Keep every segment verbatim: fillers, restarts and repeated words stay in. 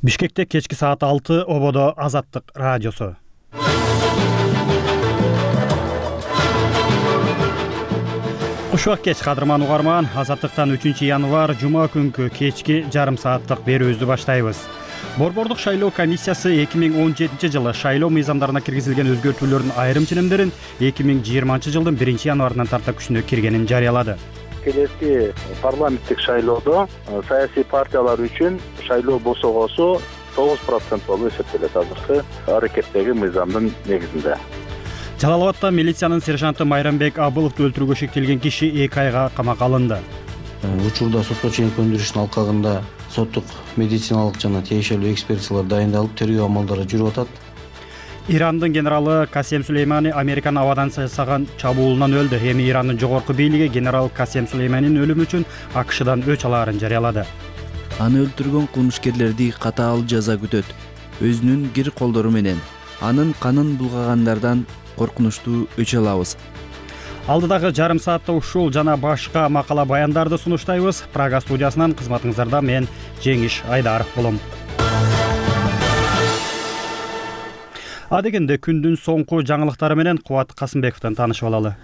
Бишкекте кечки саат алты, ободо Азаттык радиосу. Кушубак кеч кадырман угарман, Азаттыктан үчүнчү январь жума күнкү кечки жарым сааттык берүүбүздү баштайбыз. Борбордук шайлоо комиссиясы эки миң он жетинчи жылы шайлоо мыйзамдарына киргизилген өзгөртүүлөрдүн айрым ченемдерин эки миң жыйырманчы жылдын биринчи январынан тарта күчүнө киргенин жарыялады. Келеси парламенттик шайлоодо саясий партиялар үчүн шайлоо босогосу тогуз процент болуп эсептелет азыркы аракеттеги мыйзамдын негизинде. Жалал Абадта милициянын сержанты Майрамбек Абыловду өлтүрүүгө шектелген киши эки айга камакка алынды. Учурда сотко чейинки өндүрүштүн алкагында соттук медициналык жана тиешелүү экспертизалар дайындалып, тергөө амалдары жүрүп атат. Ирандын генералы Касем Сулеймани Американын абадан жасаган чабуулунан өлдү. Эми Ирандын жогорку бийлиги генерал Касем Сулейманинин өлүмү үчүн АКШдан өч алаарын жарыялады. Аны өлтүргөн кылмышкерлерди катаал жаза күтөт. Өзүнүн кир колдору менен анын канын булгагандардан коркунучтуу өч алабыз. Алдыдагы жарым саатта ушул жана башка макала баяндарды сунуштайбыз. Прага студиясынан кызматыңыздарда мен Жеңиш Айдаров болом. Адегенде күндүн соңку жаңылыктары менен Кубат Касымбековдон таанышып алалы.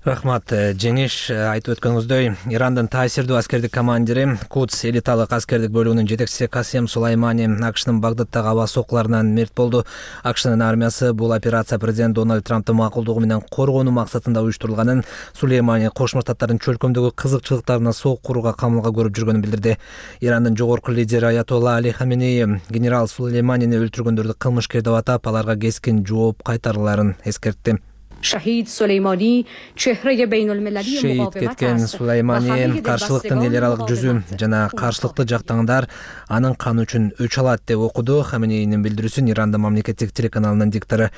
Рахмат, Жеңиш. Айтып өткөнүңүздөй, Ирандын таасирдүү аскердик командири, Кудс элиталык аскердик бөлүгүнүн жетекчиси Касем Сулеймани АКШнын Багдадтагы аба соккуларынан мерт болду. АКШнын армиясы бул операция президент Дональд Трамптын макулдугу менен коргонуу максатында уюштурулганын, Сулеймани Кошмо Штаттардын чөлкөмдөгү кызыкчылыктарына сок курууга камылга көрүп жүргөнүн билдирди. Ирандын жогорку лидери Аятолла Али Хаменеи генерал Сулейманини өлтүргөндөрдү кылмышкер деп атап, аларга кескин жооп кайтарыларын эскертти. Шахид Сулеймани чехреге бейнөлмелали Шейит кеткен Сулеймани каршылыктын эл аралык жүзү жана каршылыкты жактаңдар анын каны үчүн өч алат деп окуду Хаменейнин билдирүүсүн Ирандын мамлекеттик телеканалынын диктору.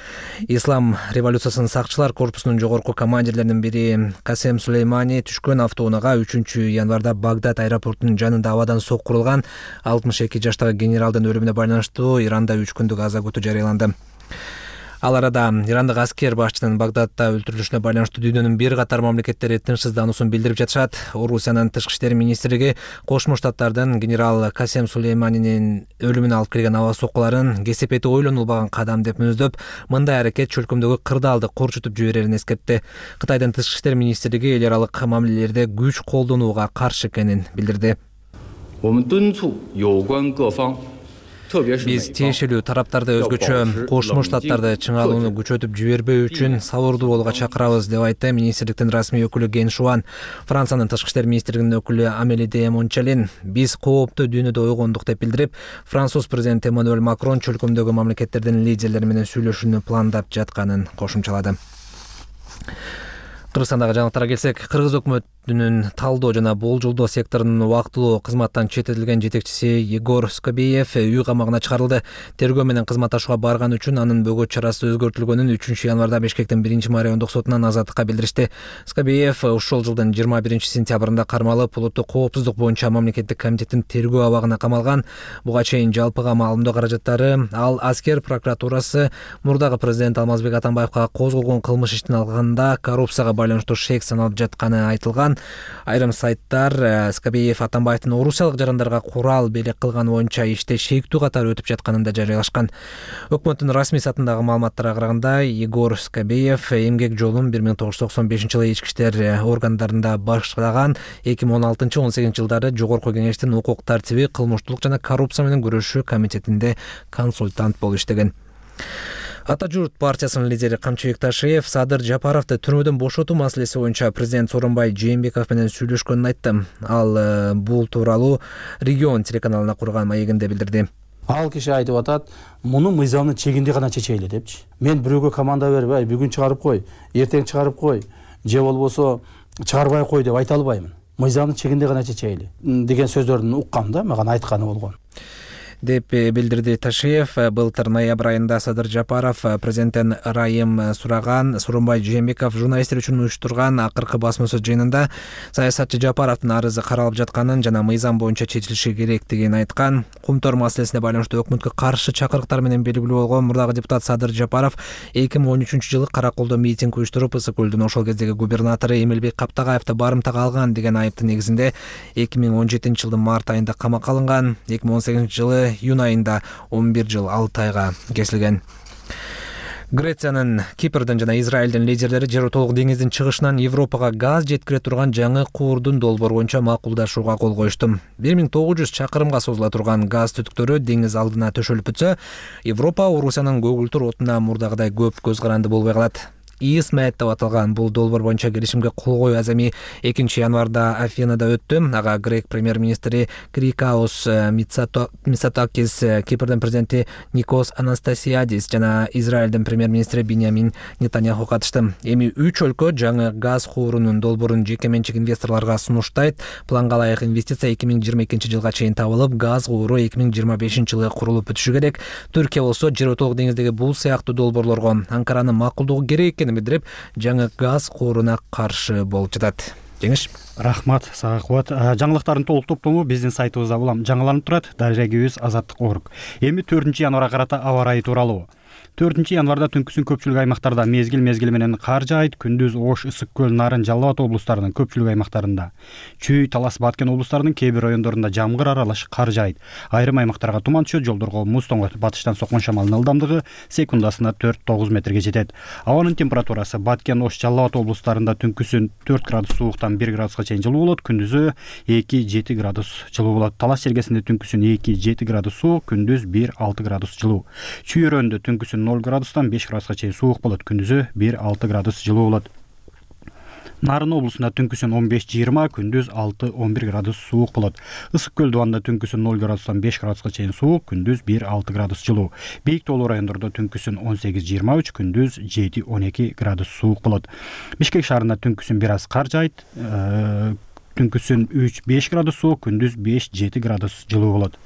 Ислам революциясынын сакчылар корпусунун жогорку командирлеринин бири Касем Сулеймани түшкөн автоунаага үчүнчү январда Багдад аэропортунун жанында абадан сок курулган. алтымыш эки жаштагы генералдын өлүмүнө байланыштуу Иранда үч күндүк аза күтүү жарыяланды. Ал арада ирандык аскер башчынын Багдадта өлтүрүлүшүнө байланыштуу дүйнөнүн бир катар мамлекеттери тынчсыздануусун билдирип жатышат. Орусиянын тышкы иштер министрлиги Кошмо Штаттардын генерал Касем Сулейманинин өлүмүнө алып келген аба соккуларын кесепети ойлонулбаган кадам деп мүнөздөп, мындай аракет чөлкөмдөгү кырдаалды корчутуп жиберерин эскертти. Кытайдын тышкы иштер министрлиги эл аралык мамилелерде күч колдонууга каршы экенин билдирди. Биз тиешелүү тараптарды өзгөчө Кошмо Штаттарды чыңалууну күчөтүп жибербөө үчүн сабырдуу болууга чакырабыз деп айтты министрликтин расмий өкүлү Ген Шуан. Франциянын тышкы иштер министрлигинин өкүлү Амели де Мончалин биз кооптуу дүйнөдө ойгондук деп билдирип, Француз президенти Эммануэль Макрон чөлкөмдөгү мамлекеттердин лидерлери менен сүйлөшүүнү пландап жатканын кошумчалады. Кыргызстандагы жаңылыктарга келсек, Кыргыз өкмөтүнүн талдоо жана болжолдоо секторунун убактылуу кызматтан чететилген жетекчиси Егор Скобеев үй камагына чыгарылды. Тергөө менен кызматташууга барган үчүн анын бөгөт чарасы өзгөртүлгөнүн үчүнчү январда Бишкектин биринчи райондук сотунан азаттыкка билдиришти. Скобеев ушул жылдын жыйырма биринчи сентябрында кармалып, улуттук коопсуздук боюнча мамлекеттик комитеттин тергөө абагына камалган. Буга чейин жалпыга маалымдоо каражаттары ал аскер прокуратурасы мурдагы президент Алмазбек Атамбаевга козголгон кылмыш иштин алганда коррупцияга байланыштуу шек саналып жатканы айтылган. Айрым сайттар Скобеев Атамбаевдин орусиялык жарандарга курал белек кылган боюнча иште шектүү катары өтүп жатканын да жарыялашкан. Өкмөттүн расмий сайтындагы маалыматтарга караганда, Егор Скобеев эмгек жолун бир миң тогуз жүз токсон бешинчи жылы ички иштер органдарында баштаган, эки миң он алтынчы он сегизинчи жылдары жогорку кеңештин укук тартиби, кылмыштуулук жана коррупция менен күрөшүү комитетинде консультант болуп иштеген. Ата журт партиясынын лидери Камчыбек Ташиев Садыр Жапаровду түрмөдөн бошотуу маселеси боюнча президент Сооронбай Жээнбеков менен сүйлөшкөнүн айтты. Ал бул тууралуу Регион телеканалына курган маегинде билдирди. Ал киши айтып атат, муну мыйзамдын чегинде гана чечейли депчи. Мен бирөөгө команда берип, ай бүгүн чыгарып кой, эртең чыгарып кой, же болбосо чыгарбай кой деп айта албаймын. Мыйзамдын чегинде гана чечейли деген сөздөрүн уккам да, мага айтканы болгон. деп билдирди Ташиев. Былтыр ноябрь айында Садыр Жапаров президенттен ырайым сураган. Сооронбай Жээнбеков журналисттер үчүн уюштурган акыркы басма сөз жыйынында саясатчы Жапаровдун арызы каралып жатканын жана мыйзам боюнча чечилиши керектигин айткан. Кумтор маселесине байланыштуу өкмөткө каршы чакырыктар менен белгилүү болгон мурдагы депутат Садыр Жапаров эки миң он үчүнчү жылы Караколдо митинг уюштуруп, Ысык көлдүн ошол кездеги губернатору Эмилбек Каптагаевди барымтага алган деген айыптын негизинде эки миң он жетинчи жылдын март айында камакка алынган. эки миң он сегизинчи жылы июнь айында он бир жыл алты айга кесилген. Грециянын, Кипрдин жана Израилдин лидерлери жер толук деңиздин чыгышынан Европага газ жеткире турган жаңы куурдун долбоору боюнча макулдашууга кол коюшту. бир миң тогуз жүз чакырымга созула турган газ түтүктөрү деңиз алдына төшөлүп бүтсө, Европа Орусиянын көгүлтүр отуна мурдагыдай көп көз каранды болбой калат. ИСМЭТ деп аталган бул долбоор боюнча келишимге кол коюу азами экинчи январда Афинада өттү. Ага грек премьер-министри Крикаос Мицотакис, Кипрдин президенти Никос Анастасиадис жана Израилдин премьер-министри Биньямин Нетаньяху катышты. Эми үч өлкө жаңы газ куурунун долбоорун жеке менчик инвесторлорго сунуштайт. Планга ылайык инвестиция эки миң жыйырма экинчи жылга чейин табылып, газ кууру эки миң жыйырма бешинчи жылы курулуп бүтүшү керек. Түркия болсо жер толук деңиздеги бул сыяктуу долбоорлорго Анкаранын макулдугу керек экенин билдирип, жаңы газ кууруна каршы болуп жатат. Жеңиш. Рахмат, сага кубат. Жаңылыктардын толук топтому биздин сайтыбызда улам жаңыланып турат. Дарегибиз Азаттык Орг. Эми төртүнчү январга карата аба ырайы тууралуу. төртүнчү январда түнкүсүн көпчүлүк аймактарда мезгил мезгили менен кар жаайт, күндүз Ош, Ысык көл, Нарын, Жалал Абад облустарынын көпчүлүк аймактарында, Чүй, Талас, Баткен облустарынын кээ бир райондорунда жамгыр аралаш кар жаайт. Айрым аймактарга туман түшөт, жолдорго муз тоңот. Батыштан соккон шамалдын ылдамдыгы секундасына төрт тогуз метрге жетет. Абанын температурасы Баткен, Ош, Жалал Абад облустарында түнкүсүн төрт градус сууктан бир градуска чейин жылуу болот, күндүзү эки жети градус жылуу болот. Талас жергесинде түнкүсүн эки жети градус суук, күндүз бир алты градус жылуу. Чүй өрөөндө түнкүсүн ноль градустан беш градуска чейин суук болот, күндүзү бир алты градус жылуу болот. Нарын облусунда түнкүсүн он беш жыйырма, күндүз алты он бир градус суук болот. Ысык көл дубанда түнкүсүн ноль градустан беш градуска чейин суук, күндүз бир алты градус жылуу. Бийик тоолуу райондордо түнкүсүн он сегиз жыйырма үч, күндүз жети он эки градус суук болот. Бишкек шаарында түнкүсүн бир аз кар жаайт, түнкүсүн үч беш градус суук, күндүз беш жети градус жылуу болот.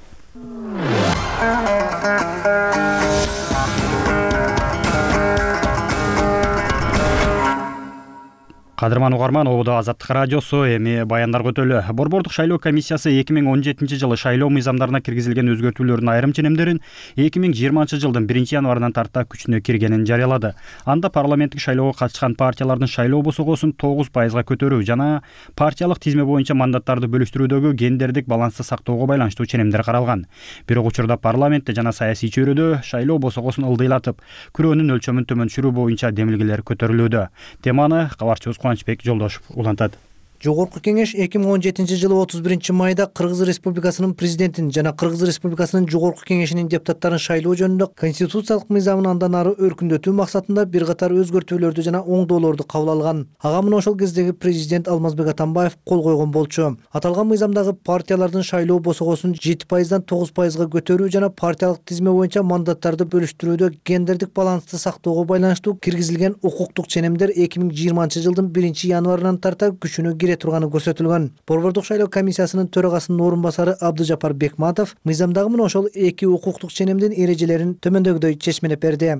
Кадырман угарман, ободо Азаттык радиосу, эми баяндар көтөлү. Борбордук шайлоо комиссиясы эки миң он жетинчи жылы шайлоо мыйзамдарына киргизилген өзгөртүүлөрдүн айрым ченемдерин эки миң жыйырманчы жылдын биринчи январынан тарта күчүнө киргенин жарыялады. Анда парламенттик шайлоого катышкан партиялардын шайлоо босогосун тогуз пайызга көтөрүү жана партиялык тизме боюнча мандаттарды бөлүштүрүүдөгү гендердик балансты сактоого байланыштуу ченемдер каралган. Бирок учурда парламентте жана саясий чөйрөдө шайлоо босогосун ылдыйлатып, күрөөнүн өлчөмүн төмөн түшүрүү боюнча демилгелер көтөрүлүүдө. Теманы кабарчыбыз Кубанычбек Жолдошев улантат. Жогорку кеңеш эки миң он жетинчи жылы отуз биринчи майда Кыргыз Республикасынын президентин жана Кыргыз Республикасынын жогорку кеңешинин депутаттарын шайлоо жөнүндө конституциялык мыйзамын андан ары өркүндөтүү максатында бир катар өзгөртүүлөрдү жана оңдоолорду кабыл алган. Ага мына ошол кездеги президент Алмазбек Атамбаев кол койгон болчу. Аталган мыйзамдагы партиялардын шайлоо босогосун жети пайыздан тогуз пайызга көтөрүү жана партиялык тизме боюнча мандаттарды бөлүштүрүүдө гендердик балансты сактоого байланыштуу киргизилген укуктук ченемдер эки миң жыйырманчы жылдын биринчи январынан тарта күчүнө кире турганы көрсөтүлгөн. Борбордук шайлоо комиссиясынын төрагасынын орун басары Абдыжапар Бекматов мыйзамдагы мына ошол эки укуктук ченемдин эрежелерин төмөндөгүдөй чечмелеп берди.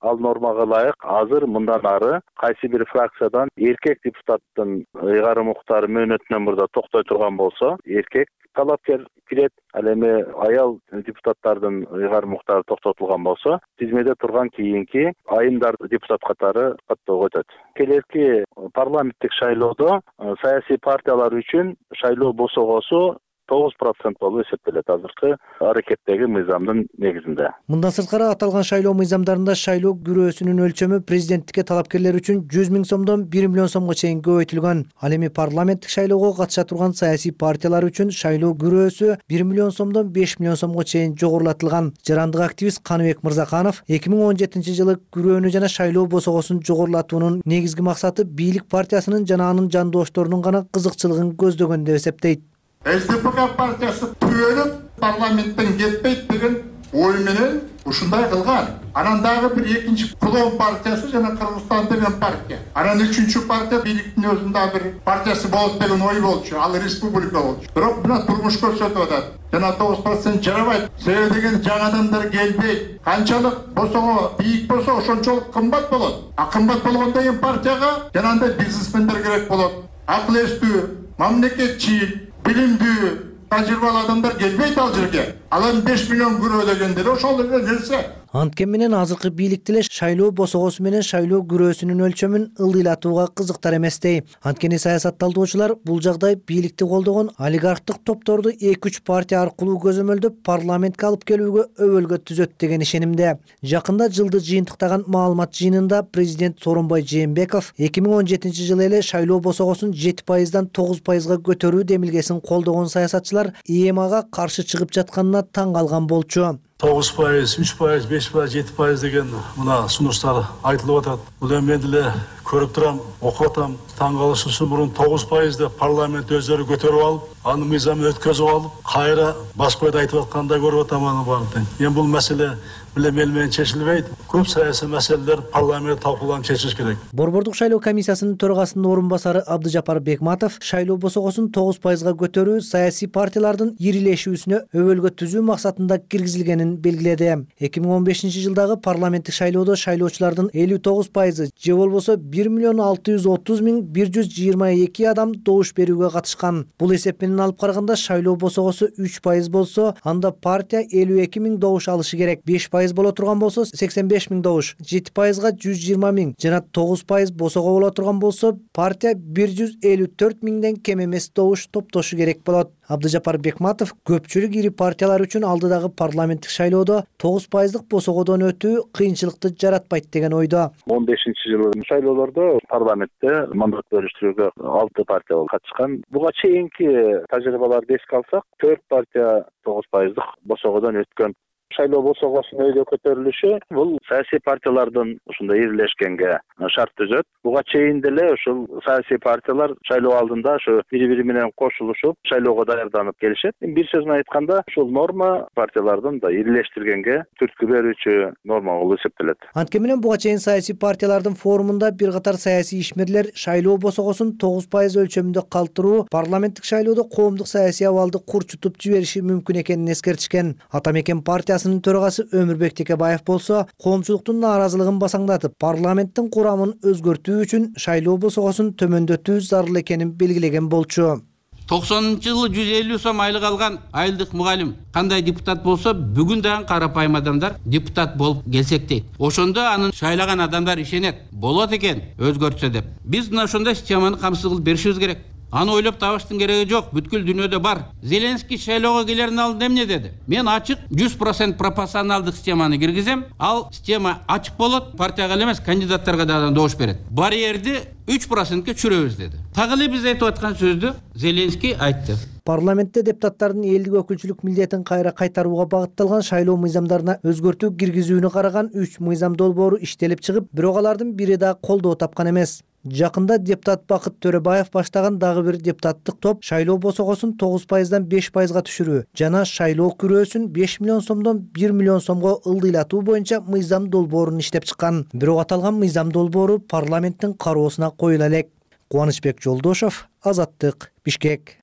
Ал нормага ылайык азыр мындан ары кайсы бир фракциядан эркек депутаттын ыйгарым укуктары мөөнөтүнөн мурда токтой турган болсо, эркек талапкер кирет. Ал эми аял депутаттардын ыйгарым укуктары токтотулган болсо, тизмеде турган кийинки айымдар депутат катары каттоого өтөт. Келерки парламенттик шайлоодо саясий партиялар үчүн шайлоо босогосу тогуз процент болуп эсептелет азыркы аракеттеги мыйзамдын негизинде. Мындан сырткары аталган шайлоо мыйзамдарында шайлоо күрөөсүнүн өлчөмү президенттикке талапкерлер үчүн жүз миң сомдон бир миллион сомго чейин көбөйтүлгөн. Ал эми парламенттик шайлоого катыша турган саясий партиялар үчүн шайлоо күрөөсү бир миллион сомдон беш миллион сомго чейин жогорулатылган. Жарандык активист Каныбек Мырзаканов эки миң он жетинчи жылы күрөөнү жана шайлоо босогосун жогорулатуунун негизги максаты бийлик партиясынын жана анын жандошторунун гана кызыкчылыгын көздөгөн деп эсептейт. СДПК партиясы түбөлүп парламенттен кетпейт деген ой менен ушундай кылган. Анан дагы бир экинчи клон партиясы жана Кыргызстан деген партия. Анан үчүнчү партия бийликтин өзүндө бир партиясы болот деген ой болчу. Ал республика болчу. Бирок мына турмуш көрсөтүп атат. Жана тогуз процент жарабайт. Себеби деген жаңы адамдар келбейт. Канчалык босого бийик болсо ошончолук кымбат болот. А кымбат болгондон кийин партияга жанагындай бизнесмендер керек болот. Акыл эстүү, мамлекетчил, билимдүү, тажрыйбалуу адамдар келбейт ал жерге. Алан беш миллион күрөө дегендер ошол эле нерсе. Анткени менен азыркы бийлик деле шайлоо босогосу менен шайлоо күрөөсүнүн өлчөмүн ылдыйлатууга кызыктар эместей. Анткени саясат талдоочулар бул жагдай бийликти колдогон олигархтык топторду эки үч партия аркылуу көзөмөлдөп парламентке алып келүүгө өбөлгө түзөт деген ишенимде. Жакында жылды жыйынтыктаган маалымат жыйынында президент Сооронбай Жээнбеков эки миң он жетинчи жылы эле шайлоо босогосун жети пайыздан тогуз пайызга көтөрүү демилгесин колдогон саясатчылар И Эм Ага каршы чыгып жатканына таң калган болчу. тогуз пайыз, үч пайыз, беш пайыз, жети пайыз деген мына сунуштар айтылып атат. Бул эми мен деле көрүп турам, окуп атам. Таң калыш үчүн мурун тогуз пайызды парламент өздөрү көтөрүп алып, анын мыйзамын өткөзүп алып, кайра Башкойдо айтып аткандай көрүп атам аны баарын. Эми бул маселе биле мел менен чечилбейт. Көп саясий маселелер парламент талкууланып чечилиш керек. Борбордук шайлоо комиссиясынын төрагасынын орун басары Абдыжапар Бекматов шайлоо босогосун тогуз пайызга көтөрүү саясий партиялардын ирилешүүсүнө өбөлгө түзүү максатында киргизилгенин белгиледи. эки миң он бешинчи жылдагы парламенттик шайлоодо шайлоочулардын элүү тогуз пайызы же болбосо бир миллион алты жүз отуз миң бир жүз жыйырма эки адам добуш берүүгө катышкан. Бул эсеп менен алып караганда шайлоо босогосу үч пайыз болсо, анда партия элүү эки миң добуш алышы керек. беш пайыз боло турган болсо сексен беш миң добуш, жети пайызга жүз жыйырма миң жана тогуз пайыз босого боло турган болсо партия бир жүз элүү төрт миңден кем эмес добуш топтошу керек болот. Абдыжапар Бекматов көпчүлүк ири партиялар үчүн алдыдагы парламенттик шайлоодо тогуз пайыздык босогодон өтүү кыйынчылыкты жаратпайт деген ойдо. он бешинчи жылы шайлоолордо парламентте мандат бөлүштүрүүгө алты партия катышкан. Буга чейинки тажрыйбаларды эске алсак, төрт партия тогуз пайыздык босогодон өткөн. Шайлоо босогосунун өйдө көтөрүлүшү бул саясий партиялардын ушундай ирилешкенге шарт түзөт. Буга чейин деле ушул саясий партиялар шайлоо алдында ошо бири-бири менен кошулушуп, шайлоого даярданып келишет. Бир сөз менен айтканда, ушул норма партиялардын да ирилештиргенге түрткү берүүчү норма болуп эсептелет. Анткени менен буга чейин саясий партиялардын форумунда бир катар саясий ишмерлер шайлоо босогосун тогуз пайыз өлчөмүндө калтыруу парламенттик шайлоодо коомдук саясий абалды курчутуп жибериши мүмкүн экенин эскертишкен. Атамекен партиясы төрагасы Өмүрбек Текебаев болсо, коомчулуктун нааразылыгын басаңдатып, парламенттин курамын өзгөртүү үчүн шайлоо босогосун төмөндөтүү зарыл экенин белгилеген болчу. токсонунчу жылы жүз элүү сом айлык алган айылдык мугалим кандай депутат болсо, бүгүн дагы карапайым адамдар депутат болуп келсек дейт. Ошондо анын шайлаган адамдар ишенет. Болот экен өзгөртсө деп. Биз мына ошондой системаны камсыз кылып беришибиз керек. Аны ойлоп табыштын кереги жок, бүткүл дүйнөдө бар. Зеленский шайлоого келердин алдында эмне деди? Мен ачык жүз процент пропорционалдык системаны киргизем, ал система ачык болот, партияга эле эмес, кандидаттарга да добуш берет. Барьерди үч процентке түшүрөбүз деди. Так эле биз айтып аткан сөздү Зеленский айтты. Парламентте депутаттардын элдик өкүлчүлүк милдетин кайра кайтарууга багытталган шайлоо мыйзамдарына өзгөртүү киргизүүнү караган үч мыйзам долбоору иштелип чыгып, бирок алардын бири да колдоо тапкан эмес. Жакында депутат Бакыт Төрөбаев баштаган дагы бир депутаттык топ шайлоо босогосун тогуз пайыздан беш пайызга түшүрүү жана шайлоо күрөөсүн беш миллион сомдон бир миллион сомго ылдыйлатуу боюнча мыйзам долбоорун иштеп чыккан. Бирок аталган мыйзам долбоору парламенттин кароосуна коюла элек. Кубанычбек Жолдошов, Азаттык, Бишкек.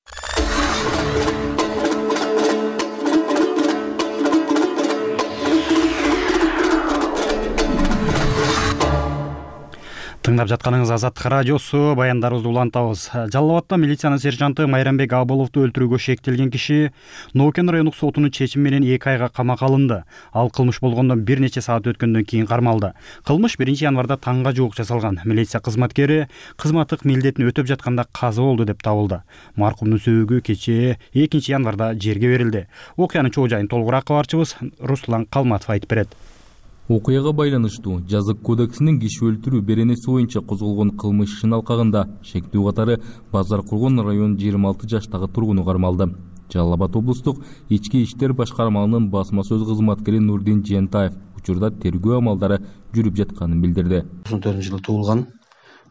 Тыңдап жатканыңыз Азаттык радиосу, баяндарыбызды улантабыз. Жалал Абадта милициянын сержанты Майрамбек Абыловду өлтүрүүгө шектелген киши Нокен райондук сотунун чечими менен эки айга камакка алынды. Ал кылмыш болгондон бир нече саат өткөндөн кийин кармалды. Кылмыш биринчи январда таңга жуук жасалган. Милиция кызматкери кызматтык милдетин өтөп жатканда каза болду деп табылды. Маркумдун сөөгү кечээ экинчи январда жерге берилди. Окуянын чоо жайын толугураак кабарчыбыз Руслан Калматов айтып берет. Окуяга байланыштуу жазык кодексинин киши өлтүрүү беренеси боюнча козголгон кылмыш ишинин алкагында шектүү катары Базар Кургон районунун жыйырма алты жаштагы тургуну кармалды. Жалал Абад облустук ички иштер башкармалыгынын басма сөз кызматкери Нурдин Жентаев учурда тергөө амалдары жүрүп жатканын билдирди. тоқсон төртүнчү жылы туулган,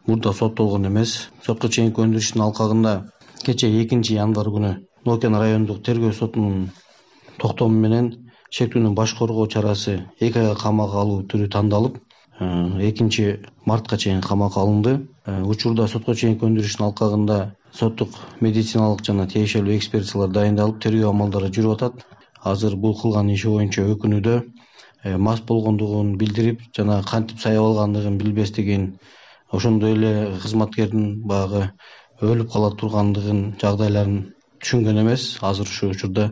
мурда соттолгон эмес. Сотко чейинки өндүрүштүн алкагында кечээ экинчи январ күнү Нокен райондук тергөө сотунун токтому менен шектүүнүн баш коргоо чарасы эки айга камакка алуу түрү тандалып, экинчи мартка чейин камакка алынды. Учурда сотко чейинки өндүрүштүн алкагында соттук медициналык жана тиешелүү экспертизалар дайындалып, тергөө амалдары жүрүп атат. Азыр бул кылган иши боюнча өкүнүүдө мас болгондугун билдирип жана кантип саябап алгандыгын билбестигин, ошондой эле кызматкердин баягы өлүп кала тургандыгын жагдайларын түшүнгөн эмес. Азыр ушу учурда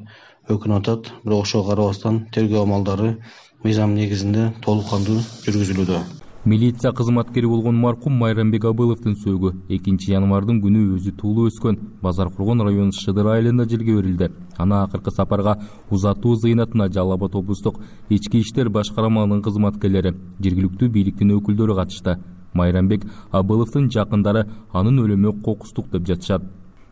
өкүнүп атат. Бирок ошого карабастан тергөө амалдары мыйзам негизинде толук кандуу жүргүзүлүүдө. Милиция кызматкери болгон маркум Майрамбек Абыловдун сөөгү экинчи январдын күнү өзү туулуп өскөн Базар Кургон району Шыдыр айылында жерге берилди. Аны акыркы сапарга узатуу зыйнатына Жалал Абад облустук ички иштер башкармалыгынын кызматкерлери, жергиликтүү бийликтин өкүлдөрү катышты. Майрамбек Абыловдун жакындары анын өлүмү кокустук деп жатышат.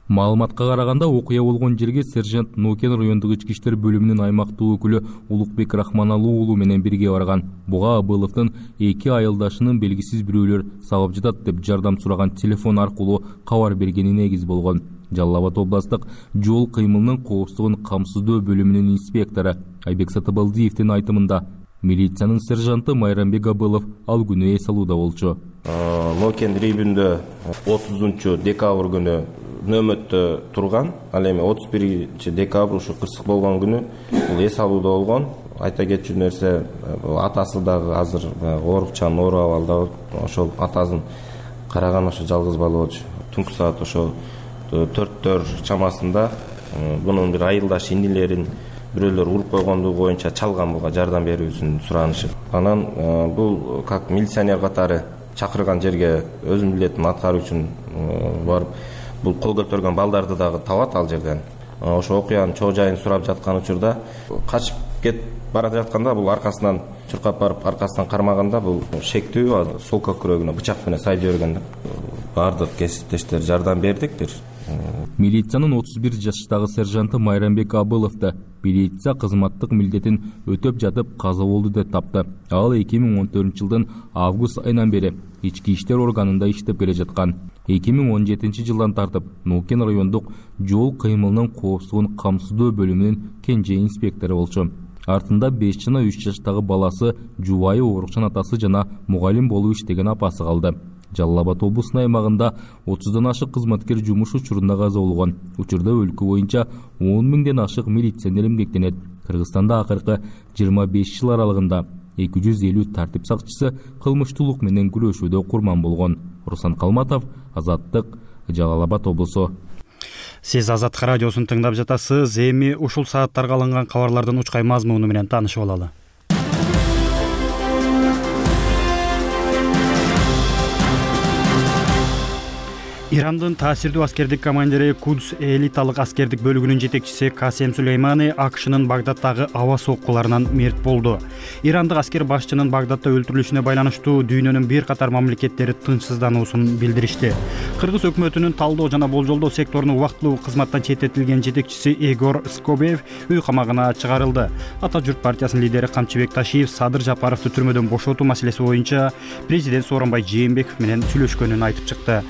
Маалыматка караганда окуя болгон жерге сержант Нокен райондук ички иштер бөлүмүнүн аймактык өкүлү Улукбек Рахманалуу уулу менен бирге барган. Буга Абыловдун эки айылдашынын белгисиз бирөөлөр сабап жатат деп жардам сураган телефон аркылуу кабар бергени негиз болгон. Жалал Абад областык жол кыймылынын коопсуздугун камсыздоо бөлүмүнүн инспектору Айбек Сатыбалдиевдин айтымында милициянын сержанты Майрамбек Абылов ал күнү эс алууда болчу. Нокен районунда отузунчу декабрь күнү нөмөттө турган. Ал эми отуз биринчи декабрь ушу кырсык болгон күнү бул эс алууда болгон. Айта кетчү нерсе, атасы дагы азыр оорукчанын оор абалда. Ошол атасын караган ошо жалгыз бала болчу. Түнкү саат ошо төрттөр чамасында бунун бир айылдаш инилерин бирөөлөр уруп койгондугу боюнча чалган, буга жардам берүүсүн суранышып. Анан бул как милиционер катары чакырган жерге өзүнүн милдетин аткаруу үчүн барып, бул кол көтөргөн балдарды дагы табат ал жерден. Ошо окуянын чоо жайын сурап жаткан учурда качып кетип бара жатканда бул аркасынан чуркап барып аркасынан кармаганда бул шектүү сол көкүрөгүнө бычак менен сайдый берген. Бардык кесиптештер жардам бердик бир. Милициянын отуз бир жаштагы сержанты Майрамбек Абыловду милиция кызматтык милдетин өтөп жатып каза болду деп тапты. Ал эки миң он төртүнчү жылдын август айынан бери ички иштер органында иштеп келе жаткан. эки миң он жетинчи жылдан тартып Нокен райондук жол кыймылынын коопсуздугун камсыздоо бөлүмүнүн кенже инспектору болчу. Артында беш жана үч жаштагы баласы, жубайы оорукчан атасы жана мугалим болуп иштеген апасы калды. Жалал Абад облусунун аймагында отуздан ашык кызматкер жумуш учурунда каза болгон. Учурда өлкө боюнча он миңден ашык милиционер эмгектенет. Кыргызстанда акыркы жыйырма беш жыл аралыгында эки жүз элүү тартип сакчысы кылмыштуулук менен күрөшүүдө курман болгон. Руслан Калматов, Азаттык, Жалал Абад облусу. Сиз Азаттык радиосун тыңдап жатасыз. Эми ушул сааттарга алынган кабарлардын учкай мазмуну менен таанышып алалы. Ирандын таасирдүү аскердик командири Кудс элиталык аскердик бөлүгүнүн жетекчиси Касем Сулеймани Акшнын Багдадтагы аба соккуларынан мерт болду. Ирандык аскер башчынын Багдадта өлтүрүлүшүнө байланыштуу дүйнөнүн бир катар мамлекеттери тынчсыздануусун билдиришти. Кыргыз өкмөтүнүн талдоо жана болжолдоо секторунун убактылуу кызматтан четтетилген жетекчиси Егор Скобеев үй камагына чыгарылды. Ата журт партиясынын лидери Камчыбек Ташиев Садыр Жапаровду түрмөдөн бошотуу маселеси боюнча президент Сооронбай Жээнбеков менен сүйлөшкөнүн айтып чыкты.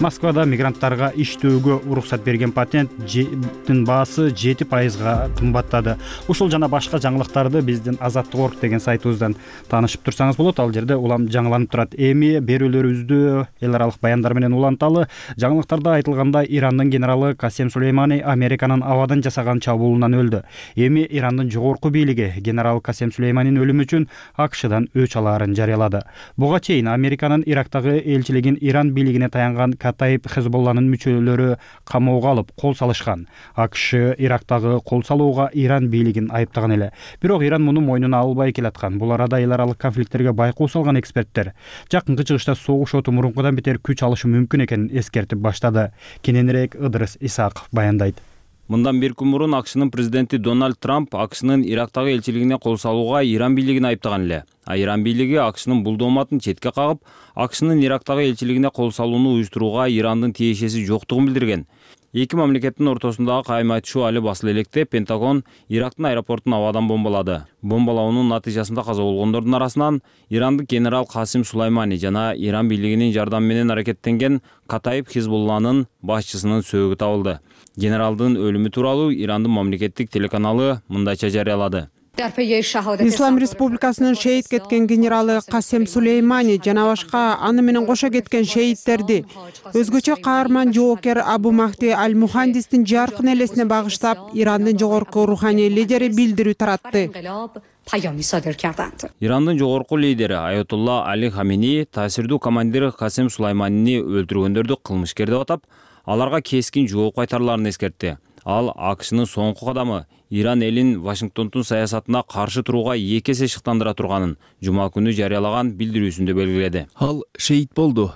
Москвада мигранттарга иштөөгө уруксат берген патенттин баасы жети пайызга кымбаттады. Ушул жана башка жаңылыктарды биздин Азаттык орг деген сайтыбыздан таанышып турсаңыз болот. Ал жерде улам жаңыланып турат. Эми берүүлөрүбүздү эл аралык баяндар менен уланталы. Жаңылыктарда айтылгандай, Ирандын генералы Касем Сулеймани Американын абадан жасаган чабуулунан өлдү. Эми Ирандын жогорку бийлиги генерал Касем Сулейманинин өлүмү үчүн АКШдан өч алаарын жарыялады. Буга чейин Американын Ирактагы элчилигин Иран бийлигине таянган Катаиб Хезболланын мүчөлөрү камоого алып кол салышкан. АКШ Ирактагы кол салууга Иран бийлигин айыптаган эле. Бирок Иран муну мойнуна албай келаткан. Бул арада эл аралык конфликттерге байкоо салган эксперттер жакынкы чыгышта согуш оту мурункудан бетер күч алышы мүмкүн экенин эскертип баштады. Кененирээк Ыдырыс Исаков баяндайт. Мындан бир күн мурун АКШнын президенти Дональд Трамп АКШнын Ирактагы элчилигине кол салууга Иран бийлигин айыптаган эле. А Иран бийлиги АКШнын бул дооматын четке кагып, АКШнын Ирактагы элчилигине кол салууну уюштурууга Ирандын тиешеси жоктугун билдирген. Эки мамлекеттин ортосундагы кайым айтышуу али басыла электе Пентагон Ирактын аэропортун абадан бомбалады. Бомбалоонун натыйжасында каза болгондордун арасынан Ирандык генерал Касим Сулеймани жана Иран бийлигинин жардамы менен аракеттенген Катаиб Хизбулланын башчысынын сөөгү табылды. Генералдын өлүмү тууралуу Ирандын мамлекеттик телеканалы мындайча жарыялады. Ислам Республикасынын шейит кеткен генералы Касем Сулеймани жана башка аны менен кошо кеткен шейиттерди өзгөчө каарман жоокер Абу Махди Аль-Мухандистин жаркын элесине багыштап Ирандын жогорку руханий лидери билдирүү таратты. Ирандын жогорку лидери Аятулла Али Хамини таасирдүү командир Касем Сулейманини өлтүргөндөрдү кылмышкер деп атап, аларга кескин жооп кайтарларын эскертти. Ал АКШнын соңку кадамы Иран элин Вашингтондун саясатына каршы турууга эки эсе шыктандыра турганын жума күнү жарыялаган билдирүүсүндө белгиледи. Ал шейит болду.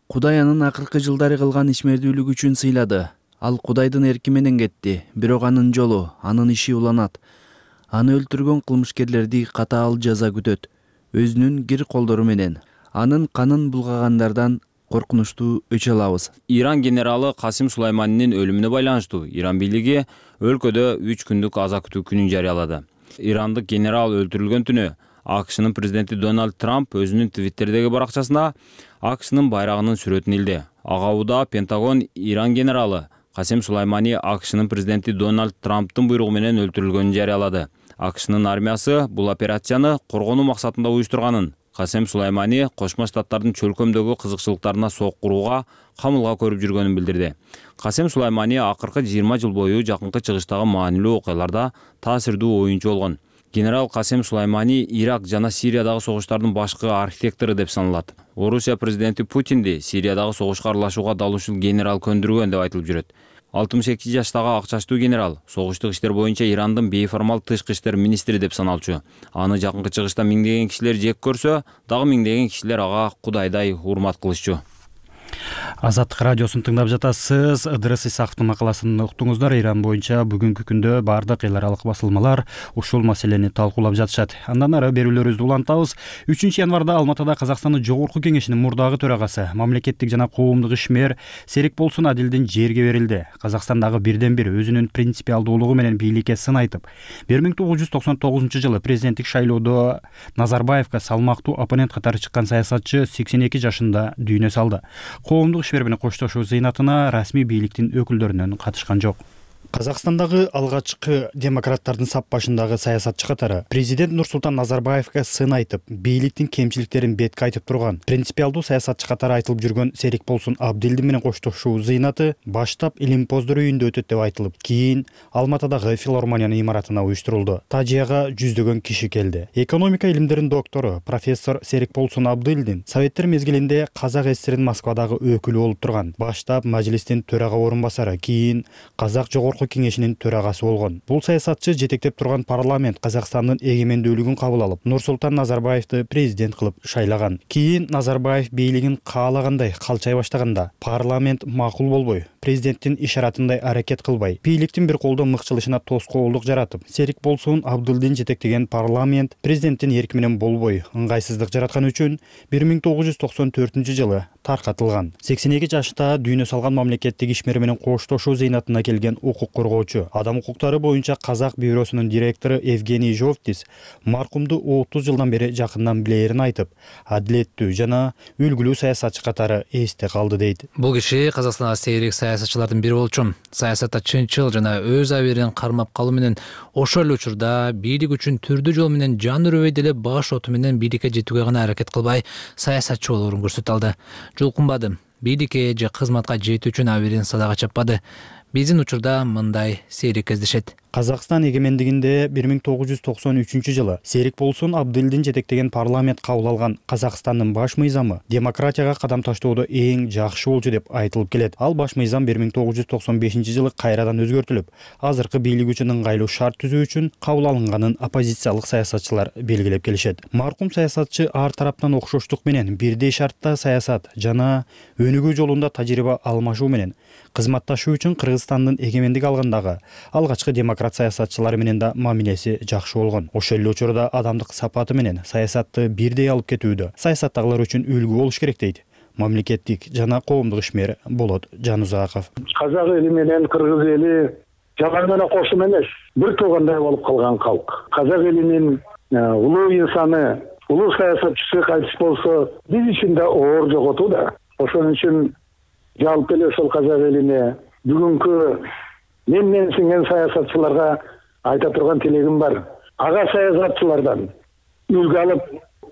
Кудай анын акыркы жылдары кылган ишмердүүлүгү үчүн сыйлады. Ал Кудайдын эрки менен кетти, бирок анын жолу, анын иши уланат. Аны өлтүргөн кылмышкерлерди катаал жаза күтөт. Өзүнүн кир колдору менен анын канын булгагандардан коркунучтуу өч алабыз. Иран генералы Касим Сулайманинин өлүмүнө байланыштуу Иран бийлиги өлкөдө үч күндүк аза күтүү күнүн жарыялады. Ирандык генерал өлтүрүлгөн түнү АКШнын президенти Дональд Трамп өзүнүн Твиттердеги баракчасына АКШнын байрагынын сүрөтүн илди. Ага убада Пентагон Иран генералы Касим Сулаймани АКШнын президенти Дональд Трамптын буйругу менен өлтүрүлгөнүн жарыялады. АКШнын армиясы бул операцияны коргонуу максатында уюштурганын, Касим Сулаймани Кошмо Штаттардын чөлкөмдөгү кызыкчылыктарына сок курууга камылга көрүп жүргөнүн билдирди. Касим Сулаймани акыркы жыйырма жыл бою жакынкы чыгыштагы маанилүү окуяларда таасирдүү оюнчу болгон. Генерал Касим Сулаймани Ирак жана Сириядагы согуштардын башкы архитектору деп саналат. Орусия президенти Путинди Сириядагы согушка аралашууга дал ушул генерал көндүргөн деп айтылып жүрөт. алтымыш эки жаштагы ак чачтуу генерал согуштук иштер боюнча Ирандын бейформал тышкы иштер министри деп саналчу. Аны жакынкы чыгышта миңдеген кишилер жек көрсө, дагы миңдеген кишилер ага кудайдай урмат кылышчу. Азаттык радиосун тыңдап жатасыз. Ыдырыс Исаковдун макаласын уктуңуздар. Иран боюнча бүгүнкү күндө бардык эл аралык басылмалар ушул маселени талкуулап жатышат. Андан ары берүүлөрүбүздү улантабыз. үчүнчү январда Алматыда Казакстандын Жогорку Кеңешинин мурдагы төрагасы, мамлекеттик жана коомдук ишмер Серикболсун Адилдин жерге берилди. Казакстандагы бирден бир өзүнүн принципиалдуулугу менен бийликке сын айтып, бир миң тогуз жүз токсон тогузунчу жылы президенттик шайлоодо Назарбаевка салмактуу оппонент катары чыккан саясатчы сексен эки жашында дүйнө салды. Коомдук ишмер менен коштошуу зыйнатына расмий бийликтин өкүлдөрүнөн катышкан жок. Казакстандагы алгачкы демократтардын сап башындагы саясатчы катары президент Нурсултан Назарбаевка сын айтып, бийликтин кемчиликтерин бетке айтып турган принципиалдуу саясатчы катары айтылып жүргөн Серикболсун Абдилдин менен коштошуу зыйнаты баштап Илимпоздор үйүндө өтөт деп айтылып, кийин Алматыдагы филармониянын имаратына уюштурулду. Тажияга жүздөгөн киши келди. Экономика илимдеринин доктору профессор Серикболсун Абдилдин Советтер мезгилинде Казак ССРнин Москвадагы өкүлү болуп турган. Баштап мажлистин төрага орун басары, кийин Казак Жогорку Кеңешинин төрагасы болгон. Бул саясатчы жетектеп турган парламент Казакстандын эгемендүүлүгүн кабыл алып, Нурсултан Назарбаевди президент кылып шайлаган. Кийин Назарбаев бийлигин каалагандай калчай баштаганда, парламент макул болбой, президенттин ишаратындай аракет кылбай, бийликтин бир колдо мыкчылышына тоскоолдук жаратып, Серикболсун Абдилдин жетектеген парламент президенттин эрки менен болбой, ыңгайсыздык жараткан үчүн бир миң тогуз жүз токсон төртүнчү жылы таркатылган. сексен эки жашта дүйнө салган мамлекеттик ишмер менен коштошуу зыйнатына келген укук коргоочу, адам укуктары боюнча Казак бюросунун директору Евгений Жовтис маркумду отуз жылдан бери жакындан билээрин айтып, адилеттүү жана үлгүлүү саясатчы катары эсте калды дейт. Бул киши Казакстанда сейрек саясатчылардын бири болчу. Саясатта чынчыл жана өз абийирин кармап калуу менен ошол эле учурда бийлик үчүн түрдүү жол менен жан үрөбөй деле баш оту менен бийликке жетүүгө гана аракет кылбай, саясатчы болоорун көрсөтө алды. Жулкунбады. Бийликке же кызматка жетүү үчүн абийирин садага чаппады. Биздин учурда мындай сейрек кездешет. Казакстан эгемендигинде бир миң тогуз жүз токсон үчүнчү жылы Серикболсун Абдилдин жетектеген парламент кабыл алган Казакстандын баш мыйзамы демократияга кадам таштоодо эң жакшы болчу деп айтылып келет. Ал баш мыйзам бир миң тогуз жүз токсон бешинчи жылы кайрадан өзгөртүлүп, азыркы бийлик үчүн ыңгайлуу шарт түзүү үчүн кабыл алынганын оппозициялык саясатчылар белгилеп келишет. Маркум саясатчы ар тараптан окшоштук менен бирдей шартта саясат жана өнүгүү жолунда тажрыйба алмашуу менен кызматташуу үчүн Кыргызстандын эгемендик алгандагы алгачкы демократ саясатчылары менен да мамилеси жакшы болгон. Ошол эле учурда адамдык сапаты менен саясатты бирдей алып кетүүдө саясаттагылар үчүн үлгү болуш керек дейт мамлекеттик жана коомдук ишмер Болот Жанузаков. Казак эли менен кыргыз эли жалаң гана кошум эмес, бир туугандай болуп калган калк. Казак элинин улуу инсаны, улуу саясатчысы кайтыш болсо, биз үчүн да оор жоготуу да. Ошон үчүн жалпы эле ошол казак элине бүгүнкү мен менсинген саясатчыларга айта турган тилегим бар. Ага саясатчылардан үлгү алып,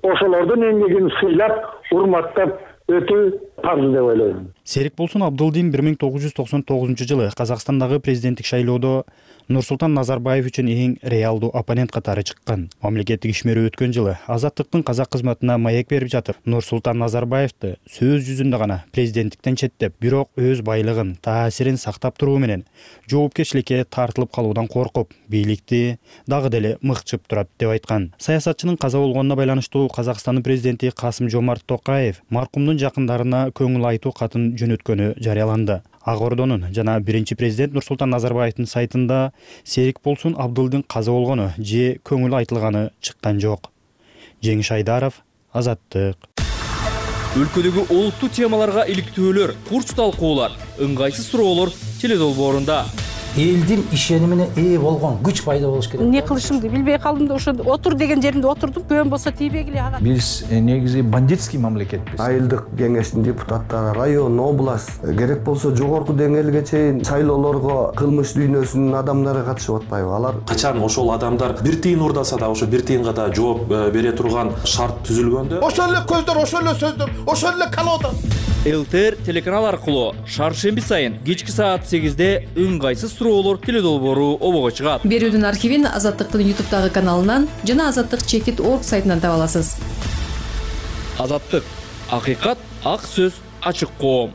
ошолордун эмгегин сыйлап, урматтап өтүү парыз деп ойлойм. Серикболсун Абдылдин бир миң тогуз жүз токсон тогузунчу жылы Казакстандагы президенттик шайлоодо Нурсултан Назарбаев үчүн эң реалдуу оппонент катары чыккан. Мамлекеттик ишмери өткөн жылы Азаттыктын казак кызматына маек берип жатып, Нурсултан Назарбаевди сөз жүзүндө гана президенттиктен четтеп, бирок өз байлыгын, таасирин сактап туруу менен жоопкерчиликке тартылып калуудан коркуп, бийликти дагы деле мыкчып турат деп айткан. Саясатчынын каза болгонуна байланыштуу Казакстандын президенти Касым-Жомарт Токаев маркумдун жакындарына көңүл айтуу катын жөнөткөнү жарыяланды. Ак Ордонун жана биринчи президент Нурсултан Назарбаевдин сайтында Серикболсун Абдылдин каза болгону же көңүл айтылганы чыккан жок. Жеңиш Айдаров, Азаттык. Өлкөдөгү олуттуу темаларга иликтөөлөр, курч талкуулар, ыңгайсыз суроолор теледолбоорунда. Элдин ишенимине ээ болгон күч пайда болуш керек. Эмне кылышымды билбей калдым да ошо отур деген жеримде отурдум. Көөн болсо тийбегиле ага. Биз негизи бандитский мамлекетпиз. Айылдык кеңештин депутаттары, район, область, керек болсо жогорку деңгээлге чейин шайлоолорго кылмыш дүйнөсүнүн адамдары катышып атпайбы? Алар качан ошол адамдар бир тыйын урдаса да ошо бир тыйынга да жооп бере турган шарт түзүлгөндө, ошол эле көздөр, ошол эле сөздөр, ошол эле колода. ЛТР телеканал аркылуу шаршемби сайын кечки саат сегизде ыңгайсыз суроолор теледолбоору обого чыгат. Берүүдүн архивин Азаттыктын ютубтагы каналынан жана азаттык чекит точка орг сайтынан таба аласыз. Азаттык, акыйкат, ак сөз, ачык коом.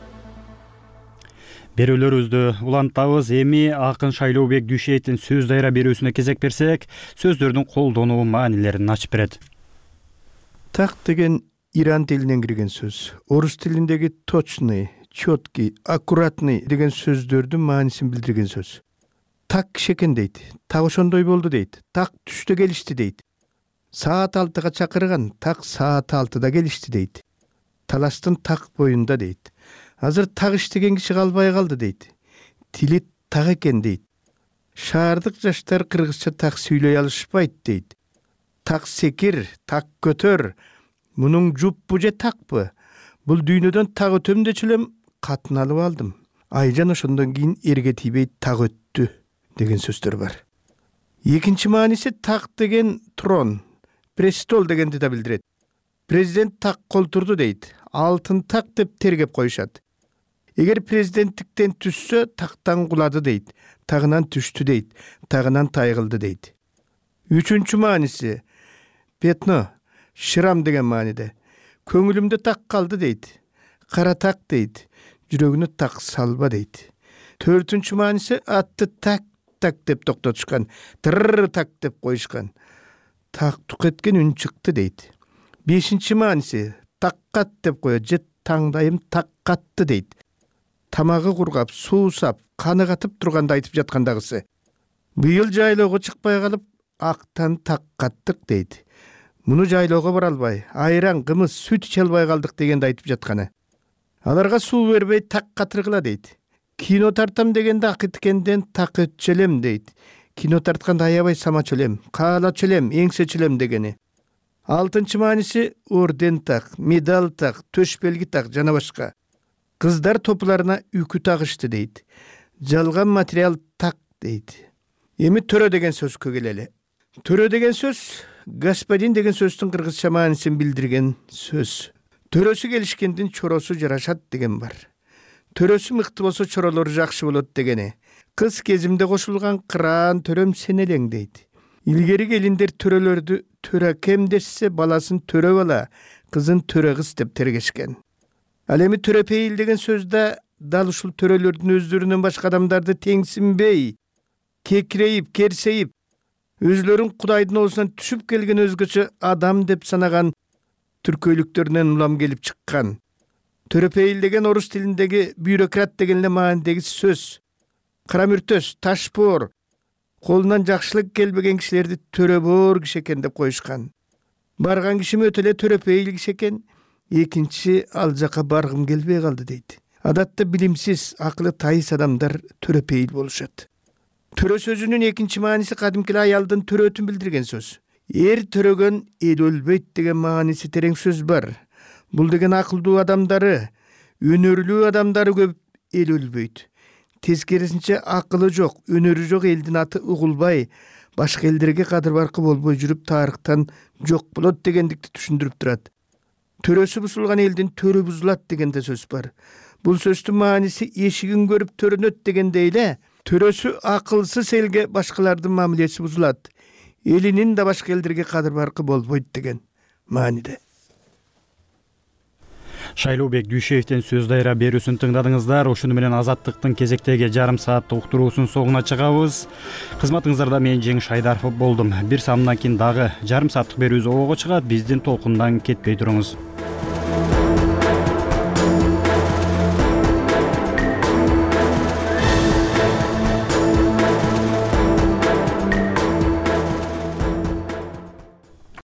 Берүүлөрүбүздү улантабыз. Эми акын Шайлообек Дүйшеевдин сөз дайра берүүсүнө кезек берсек, сөздөрдүн колдонуу маанилерин ачып берет. Так деген Иран тилинен кирген сөз. Орус тилиндеги точный, четкий, аккуратный деген сөздөрдүн маанисин билдирген сөз. Так киши экен дейт. Так ошондой болду дейт. Так түштө келишти дейт. Саат алтыга чакырган, так саат алтыда келишти дейт. Таластын так боюнда дейт. Азыр так иштеген киши калбай калды дейт. Тили так экен дейт. Шаардык жаштар кыргызча так сүйлөй алышпайт дейт. Так секир, так көтөр. Мунун жуппу же такпы? Бул дүйнөдөн так өтөм дечү элем катын алып алдым. Айжан ошондон кийин эрге тийбей так өттү деген сөздөр бар. Экинчи мааниси так деген трон, престол дегенди да билдирет. Президент так колтурду дейт. Алтын так деп тергеп коюшат. Эгер президенттиктен түшсө, тактан кулады дейт. Тагынан түштү дейт. Тагынан тайгылды дейт. Үчүнчү мааниси петно, шырам деген мааниде. Көңүлүмдө так калды дейт. Кара так дейт. Жүрөгүнө так салба дейт. Төртүнчү мааниси атты так так деп токтотушкан. Тырр так деп коюшкан. Так тук эткен үн чыкты дейт. Бешинчи мааниси таккат деп коет же таңдайым так катты дейт. Тамагы кургап, суусап, каны катып турганда айтып жаткандагысы. Быйыл жайлоого чыкпай калып, актан так каттык дейт. Муну жайлоого бара албай, айран, кымыз, сүт иче албай калдык дегенди айтып жатканы. Аларга суу бербей так катыргыла дейт. Кино тартам дегенде акыткенден так өтчөлөм дейт. Кино тартканда аябай самачөлөм, каалачөлөм, эңсечөлөм дегени. Алтынчы мааниси орден так, медаль так, төш белги так жана башка. Кыздар топларына үкү тагышты дейт. Жалган материал так дейт. Эми төрө деген сөзгө келели. Төрө деген сөз господин деген сөздүн кыргызча маанисин билдирген сөз. Төрөсү келишкендин чоросу жарашат деген бар. Төрөсү мыкты болсо чоролору жакшы болот дегени. Кыз кезимде кошулган кыраан төрөм сен элең дейт. Илгери келиндер төрөлөрдү төрө кем дешсе баласын төрө бала, кызын төрө кыз деп тергешкен. Ал эми төрөпейил деген сөздө дал ушул төрөлөрдүн өздөрүнөн башка адамдарды теңсинбей, кекирейип, керсейип, өзлөрүн Кудайдын оозунан түшүп келген өзгөчө адам деп санаган түркөйлүктөрүнөн улам келип чыккан. Төрөпейил деген орус тилиндеги бюрократ деген эле маанидеги сөз. Карамүртөс, ташбоор, колунан жакшылык келбеген кишилерди төрөбоор киши экен деп коюшкан. Барган кишим өтө эле төрөпейил киши экен, экинчи ал жака баргым келбей калды дейт. Адатта билимсиз, акылы тайыс адамдар төрөпейил болушат. Төрө сөзүнүн экинчи мааниси кадимки аялдын төрөтүн билдирген сөз. Эр төрөгөн эл өлбөйт деген мааниси терең сөз бар. Бул деген акылдуу адамдары, өнөрлүү адамдары көп эл өлбөйт. Тескерисинче акылы жок, өнөрү жок элдин аты угулбай, башка элдерге кадыр баркы болбой жүрүп тарыхтан жок болот дегендикти түшүндүрүп турат. Төрөсү бузулган элдин төрө бузулат деген да сөз бар. бул сөздүн мааниси эшигин көрүп төрөнөт дегендей эле төрөсү акылсыз элге башкалардын мамилеси бузулат, элинин да башка элдерге кадыр баркы болбойт деген мааниде. Шайлообек Дүйшеевдин сөз дайра берүүсүн тыңдадыңыздар. Ошону менен Азаттыктын кезектеги жарым сааттык уктуруусунун соңуна чыгабыз. Кызматыңыздарда мен Жеңиш Айдаров болдум. Бир самынан кийин дагы жарым сааттык берүүбүз обого чыгат. Биздин толкундан кетпей туруңуз.